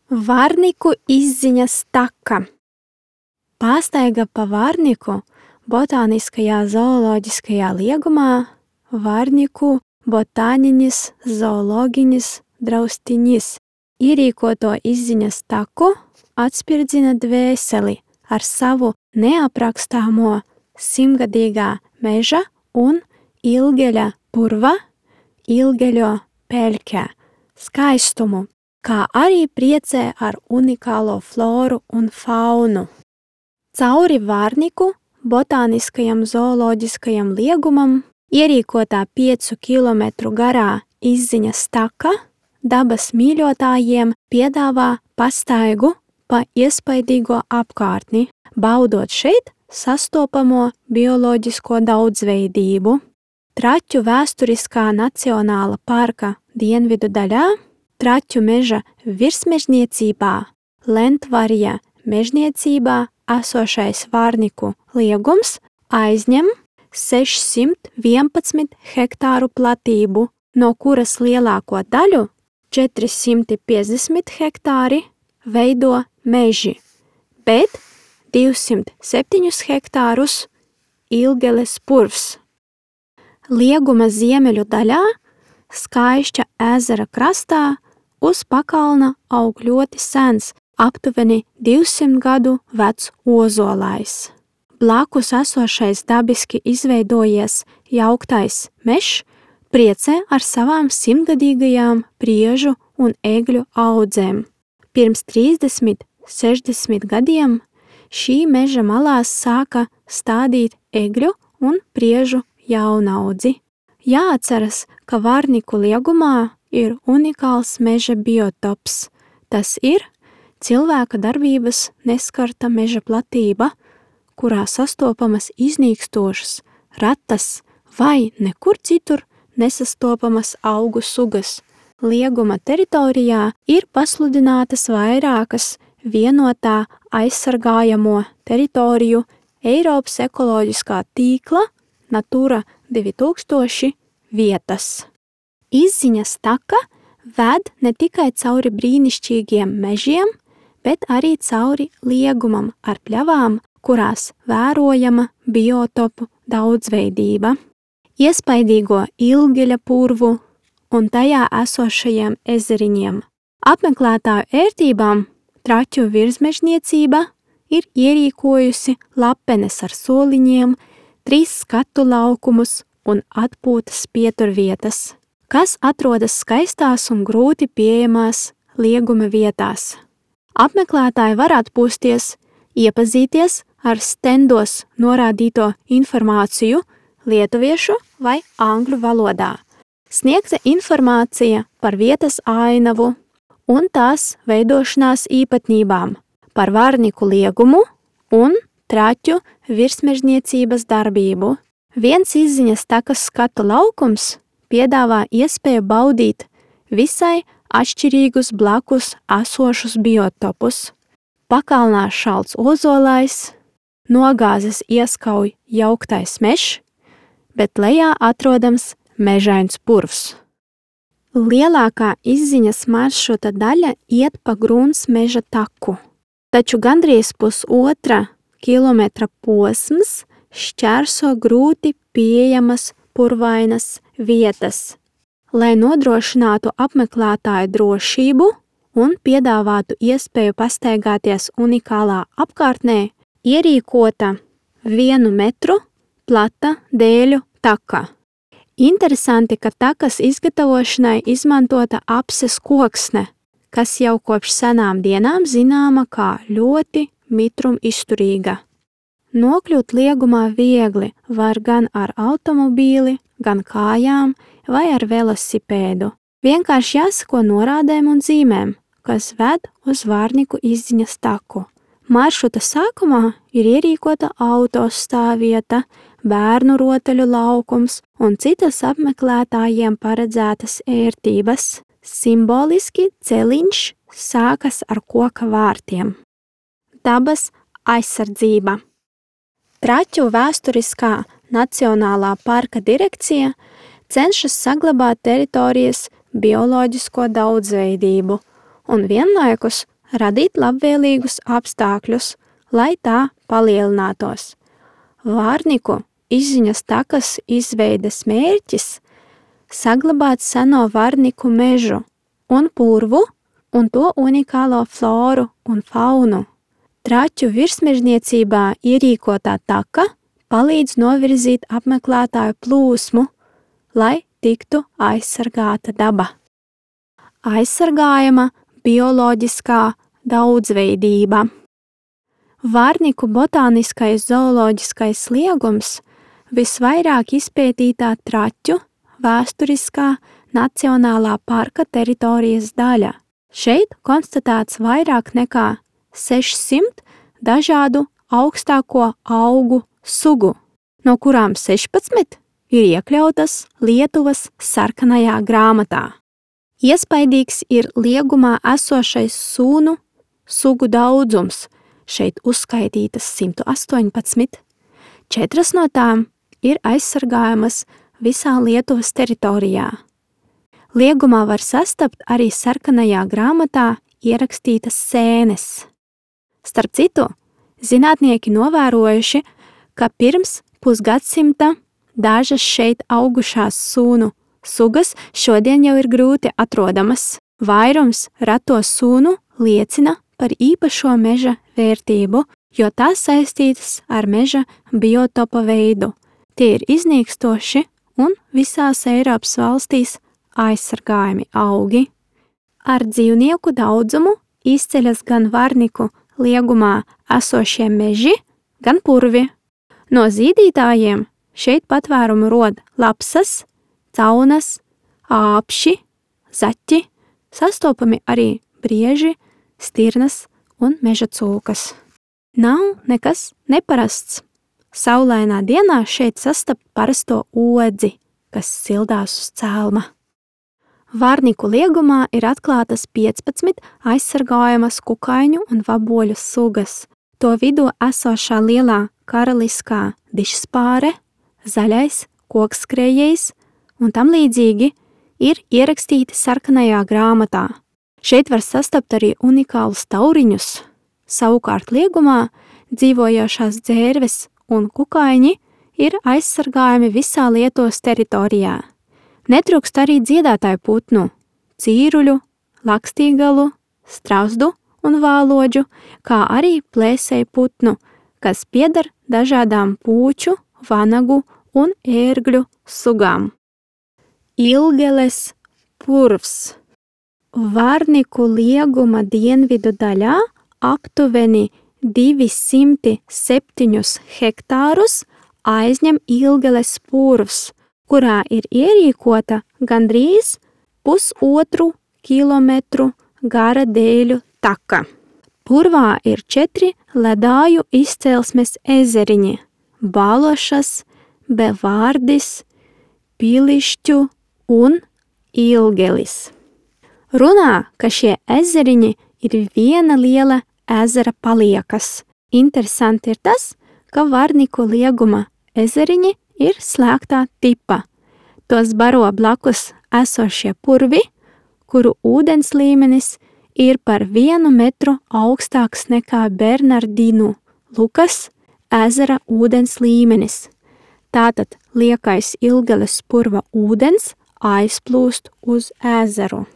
Vārniku izziņas taka. Pāstaiga pa Vārniku botāniskajā zooloģiskajā liegumā Vārniku botāninis zoologinis draustiņis. Ierīkoto izziņas taku atspirdzina dvēseli ar savu neaprakstāmo simtgadīgā meža un ilgeļa purva, ilgeļo peļķē skaistumu, kā arī priecē ar unikālo floru un faunu. Cauri Vārniku botāniskajam zooloģiskajam liegumam ierīkotā 5 kilometru garā izziņas taka dabas mīļotājiem piedāvā pastaigu pa iespaidīgo apkārtni, baudot šeit sastopamo bioloģisko daudzveidību. Traķu vēsturiskā nacionāla parka dienvidu daļā, Traķu meža virsmežniecībā, Lentvarja mežniecībā esošais Vārniku liegums aizņem 611 hektāru platību, no kuras lielāko daļu 450 hektāri veido meži, bet 207 hektārus Ilgeles purvs. Lieguma ziemeļu daļā, Skaišķa ezera krastā, uz pakalna aug ļoti sens, aptuveni 200 gadu vecs ozolais. Blakus esošais dabiski izveidojies jauktais mežs priecē ar savām simtgadīgajām priežu un egļu audzēm. Pirms 30–60 gadiem šī meža malās sāka stādīt egļu un priežu jaunaudzi. Jāatceras, ka Vārniku liegumā ir unikāls meža biotops. Tas ir cilvēka darbības neskarta meža platība, kurā sastopamas iznīkstošas, retas vai nekur citur nesastopamas augu sugas. Lieguma teritorijā ir pasludinātas vairākas vienotā aizsargājamo teritoriju Eiropas ekoloģiskā tīkla Natura 2000 vietas. Izziņas taka ved ne tikai cauri brīnišķīgiem mežiem, bet arī cauri liegumam ar pļavām, kurās vērojama biotopu daudzveidība. Iespaidīgo Ilgeļa purvu un tajā esošajiem ezeriņiem. Apmeklētāju ērtībām Traķu virsmežniecība ir ierīkojusi lapenes ar soliņiem, 3 skatu laukumus un atpūtas pieturvietas, kas atrodas skaistās un grūti pieejamās lieguma vietās. Apmeklētāji var atpūsties, iepazīties ar stendos norādīto informāciju lietuviešu vai angļu valodā. Sniegta informācija par vietas ainavu un tās veidošanās īpatnībām, par Vārniku liegumu un Traķu virsmežniecības darbību. Viens izziņas takas skatu laukums piedāvā iespēju baudīt visai atšķirīgus blakus esošus biotopus. Pakalnā šalts ozolais, nogāzes ieskauj jauktais mežs, bet lejā atrodams mežains purvs. Lielākā izziņas maršruta daļa iet pa Grūns meža taku, taču gandrīz pusotra kilometra posms šķērso grūti pieejamas purvainas vietas. Lai nodrošinātu apmeklētāju drošību un piedāvātu iespēju pastaigāties unikālā apkārtnē, ierīkota 1 metru plata dēļu taka. Interesanti, ka takas izgatavošanai izmantota apses koksne, kas jau kopš senām dienām zināma kā ļoti mitrum izturīga. Nokļūt liegumā viegli var gan ar automobīli, gan kājām vai ar velosipēdu. Vienkārši jāsako norādēm un zīmēm, kas ved uz Vārniku izziņas taku. Maršruta sākumā ir ierīkota autostāvvieta, bērnu rotaļu laukums un citas apmeklētājiem paredzētas ērtības. Simboliski celiņš sākas ar koka vārtiem. Dabas aizsardzība. Traķu vēsturiskā Nacionālā parka direkcija cenšas saglabāt teritorijas bioloģisko daudzveidību un vienlaikus radīt labvēlīgus apstākļus, lai tā palielinātos. Vārniku izziņas takas izveides mērķis saglabāt seno Vārniku mežu un purvu un to unikālo floru un faunu. Traķu virsmežniecībā ierīkotā taka palīdz novirzīt apmeklētāju plūsmu, lai tiktu aizsargāta daba. Aizsargājama bioloģiskā daudzveidība. Vārniku botāniskais zooloģiskais liegums visvairāk izpētītā traķu vēsturiskā nacionālā parka teritorijas daļa. Šeit konstatēts vairāk nekā 600 dažādu augstāko augu sugu, no kurām 16 ir iekļautas Lietuvas sarkanajā grāmatā. Iespaidīgs ir liegumā esošais sūnu sugu daudzums, šeit uzskaitītas 118, 4 no tām ir aizsargājamas visā Lietuvas teritorijā. Liegumā var sastapt arī sarkanajā grāmatā ierakstītas sēnes. Starp citu, zinātnieki novērojuši, ka pirms pusgadsimta dažas šeit augušās sūnu sugas šodien jau ir grūti atrodamas. Vairums rato sūnu liecina par īpašo meža vērtību, jo tās saistītas ar meža biotopa veidu. Tie ir iznīkstoši un visās Eiropas valstīs aizsargājami augi. Ar dzīvnieku daudzumu izceļas gan Vārniku liegumā esošie meži, gan purvi. No zīdītājiem šeit patvērumu rod lapsas, caunas, āpši, zaķi, sastopami arī brieži, stirnas un meža cūkas. Nav nekas neparasts. Saulainā dienā šeit sastapt parasto odzi, kas sildās uz cēlma. Vārniku liegumā ir atklātas 15 aizsargājamas kukaiņu un vaboļu sugas. To vidū esošā lielā karaliskā dišspāre, zaļais kokskrējējs un tam līdzīgi ir ierakstīti sarkanajā grāmatā. Šeit var sastapt arī unikālus tauriņus. Savukārt liegumā dzīvojošās dzērves un kukaiņi ir aizsargājami visā Lietuvas teritorijā. Netrūkst arī dziedātāju putnu, cīruļu, lakstīgalu, strauzdu un vālodžu, kā arī plēsēju putnu, kas pieder dažādām pūču, vanagu un ērgļu sugām. Ilgeles purvs. Vārniku lieguma dienvidu daļā aptuveni 207 hektārus aizņem Ilgeles purvs, kurā ir ierīkota gandrīz 1,5 kilometru gara dēļu taka. Purvā ir 4 ledāju izcelsmes ezeriņi – Balošas, Bevārdis, Pilišķu un Ilgelis. Runā, ka šie ezeriņi ir viena liela ezera paliekas. Interesanti ir tas, ka Vārniku lieguma ezeriņi ir slēgtā tipa. Tos baro blakus esošie purvi, kuru ūdens līmenis ir par 1 metru augstāks nekā Bernardinu Lukas ezera ūdens līmenis. Tātad liekais Ilgeles purva ūdens aizplūst uz ezeru.